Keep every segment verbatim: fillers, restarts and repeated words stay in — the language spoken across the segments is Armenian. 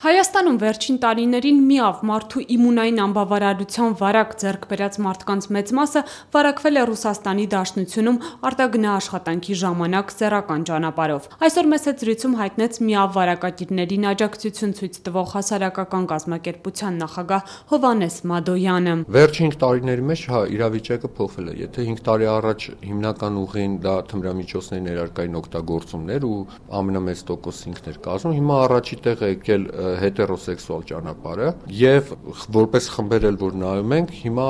Հայաստանում վերջին տարիներին միավ մարդու իմունային անբավարարության վարակ ձեռք բերած մարդկանց մեծ մասը վարակվել է Ռուսաստանի Դաշնությունում արտագնաաշխատանքի ժամանակ սեռական ճանապարհով։ Այսօր մեծ զրույցում հայտնեց միավ վարակագիրներին աջակցություն ցույց տվող հասարակական կազմակերպության նախագահ Հովհաննես Մադոյանը։ Վերջին տարիների մեջ հա իրավիճակը փոխվել է։ Եթե հինգ տարի առաջ հիմնական ուղին դա թմրամիջոցների ներարկային օգտագործումներ ու ամենամեծ տոկոսը ինքն էր կազմում, հիմա առաջի տեղ է եկել հետերոսեքսուալ ճանապարհը եւ որպես խմբեր էլ որ նայում ենք հիմա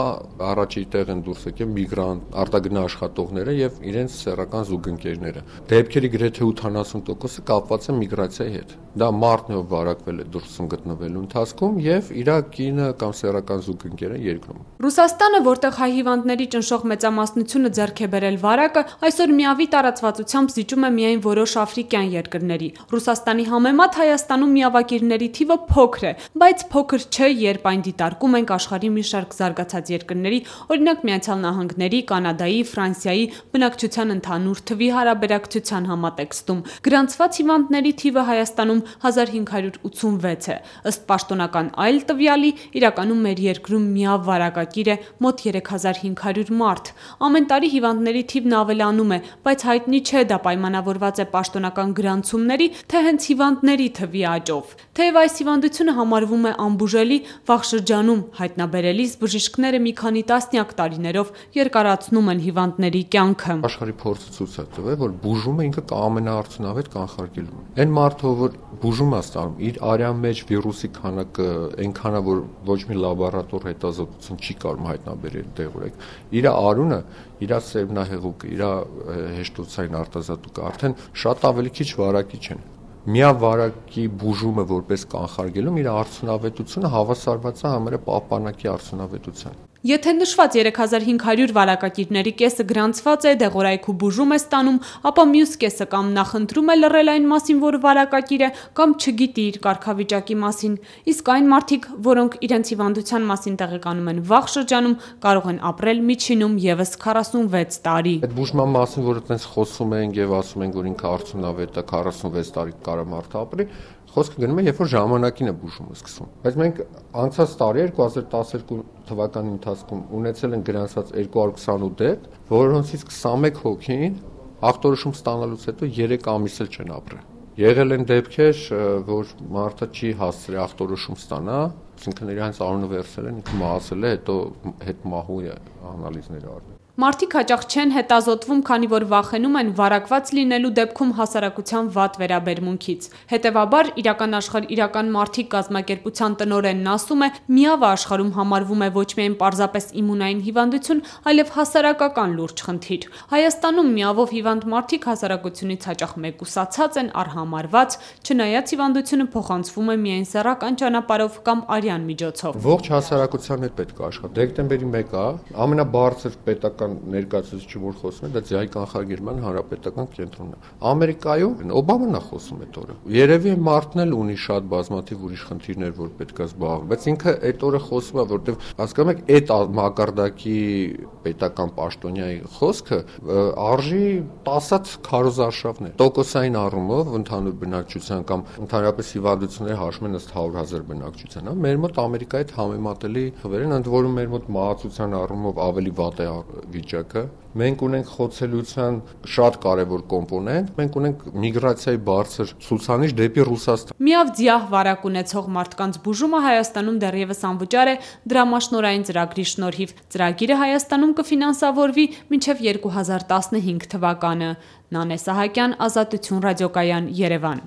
առաջի տեղ են դուրս եկել միգրանտ արտագնա աշխատողները եւ իրենց սեռական զուգընկերները դեպքերի գրեթե ութանասուն տոկոսը կապված է միգրացիայի հետ դա մարդն է ով վարակվել է դուրսում գտնվելու ընթացքում եւ իր կինը կամ սեռական զուգընկերը երկրում Ռուսաստանը որտեղ հայ հիվանդների ճնշող մեծամասնությունը ձեռք է բերել վարակը այսօր միավի տարածվածությամբ զիջում է միայն որոշ աֆրիկյան երկրների Ռուսաստանի համեմատ Հայաստանում միավակիրների թիվը փոքր է, բայց փոքր չէ, երբ այն դիտարկում ենք աշխարհի մի շարք զարգացած երկրների, օրինակ Միացյալ Նահանգների, Կանադայի, Ֆրանսիայի բնակչության ընդհանուր թվի հարաբերակցության համատեքստում։ Գրանցված հիվանդների թիվը Հայաստանում հազար հինգ հարյուր ութսունվեց է։ Ըստ պաշտոնական այլ տվյալի, իրականում մեր երկրում միավ վարակագիր է մոտ երեք հազար հինգ հարյուր մարդ։ Ամեն տարի հիվանդների թիվն ավելանում է, բայց հայտնի չէ դա պայմանավորված է պաշտոնական գրանցումների, թե հենց հիվանդների թվի աճով։ Թեև այս հիվանդությունը համարվում է անբուժելի, վաղ շրջանում հայտնաբերելիս բժիշկները մի քանի տասնյակ տարիներով երկարացնում են հիվանդների կյանքը։ Աշխարհի փորձը ցույց է տվել, որ բուժումը ինքը կամենաարդյունավետ կանխարգելում է։ Այն մարդը, որ բուժում է ստանում, իր արյան մեջ վիրուսի քանակը այնքան է, որ ոչ մի լաբորատոր հետազոտություն չի կարող հայտնաբերել դեղորեք։ Իր արյունը, իր սերմնահեղուկը, իր հեշտոցային արտազատուկը արդեն շատ ավելի քիչ վարակիչ են։ Միավարակի բուժումը որպես կանխարգելում իր արդյունավետությունը հավասարված է համարը պահպանակի արդյունավետության։ Եթե նշված երեք հազար հինգ հարյուր վարակագիրների կեսը գրանցված է, դեղորայքի բուժում է ստանում, ապա մյուս կեսը կամ նախընտրում է լռել այն մասին, որ վարակագիր է, կամ չգիտի իր կարգավիճակի մասին։ Իսկ այն մարդիկ, որոնք իրենց հիվանդության մասին տեղեկանում են վաղ շրջանում, կարող են ապրել միջինում եւս քառասունվեց տարի։ Այդ բուժման մասին, որ այդպես խոսում են եւ ասում են, որ ինքը արդյունավետ է, քառասունվեց տարի կարող մարդը ապրի, խոսքը գնում է, երբ որ ժամանակին է բուժումը սկսում։ Բայց մենք անցած տարի երկու հազար տասներկու թվականի ընթացքում ունեցել են գրանցված երկու հարյուր քսանութ դեպք, որոնցից քսանմեկ հոգին ախտորոշում ստանալուց հետո երեք ամիս էլ չեն ապրել։ Եղել են դեպքեր, որ մարդը չի հասցրել ախտորոշում ստանա, այսինքն իրենց արյունը վերցել են, ինքը մահացել է, հետո հետմահու անալիզներ արվել։ Մարդիկ հաճախ չեն հետազոտվում, քանի որ վախենում են վարակված լինելու դեպքում հասարակության վատ վերաբերմունքից։ Հետևաբար, իրական աշխարհ իրական մարդիկ կազմակերպության տնօրենն ասում է, միավը աշխարհում համարվում է ոչ միայն պարզապես իմունային հիվանդություն, այլև հասարակական լուրջ խնդիր։ Հայաստանում միավով հիվանդ մարդիկ հասարակությունից հաճախ մեկուսացած են, արհամարված, չնայած հիվանդությունը փոխանցվում է միայն սեռական ճանապարհով կամ արյան միջոցով։ Ողջ հասարակության հետ պետք է աշխատել։ Դեկտեմբերի մեկը ամենաբարձր պետական ներկայացուցիչը որ խոսում է, դա ձիայի կանխարգելման հանրապետական կենտրոնն է։ Ամերիկայում Օբաման է խոսում այդ օրը։ Երևի մարդն էլ ունի շատ բազմաթիվ ուրիշ խնդիրներ, որ պետք է զբաղվի, բայց ինքը այդ օրը խոսում է, որտեվ հասկանում եք, այդ մակարդակի պետական պաշտոնյայի խոսքը արժի տասած քարոզարշավներ։ Տոկոսային առումով ընդհանուր բնակչության կամ ընդհանրապես հիվանդությունների հաշվում են ըստ հարյուր հազար բնակչության, հա, մեր մոտ Ամերիկայի հետ համեմատելի թվեր են, ընդ որում մեր մոտ մահացության առումով ավելի վատ է վիճակը։ Մենք ունենք խոցելիության շատ կարևոր կոմպոնենտ, մենք ունենք միգրացիայի բարձր ցուցանիշ դեպի Ռուսաստան։ Միավ ձիահ վարակ ունեցող մարդկանց բուժումը Հայաստանում դեռևս անվճար է դրամաշնորհային ծրագրի շնորհիվ։ Ծրագիրը Հայաստանում կֆինանսավորվի մինչև երկու հազար տասնհինգ թվականը։ Նանե Սահակյան, Ազատություն ռադիոկայան, Երևան։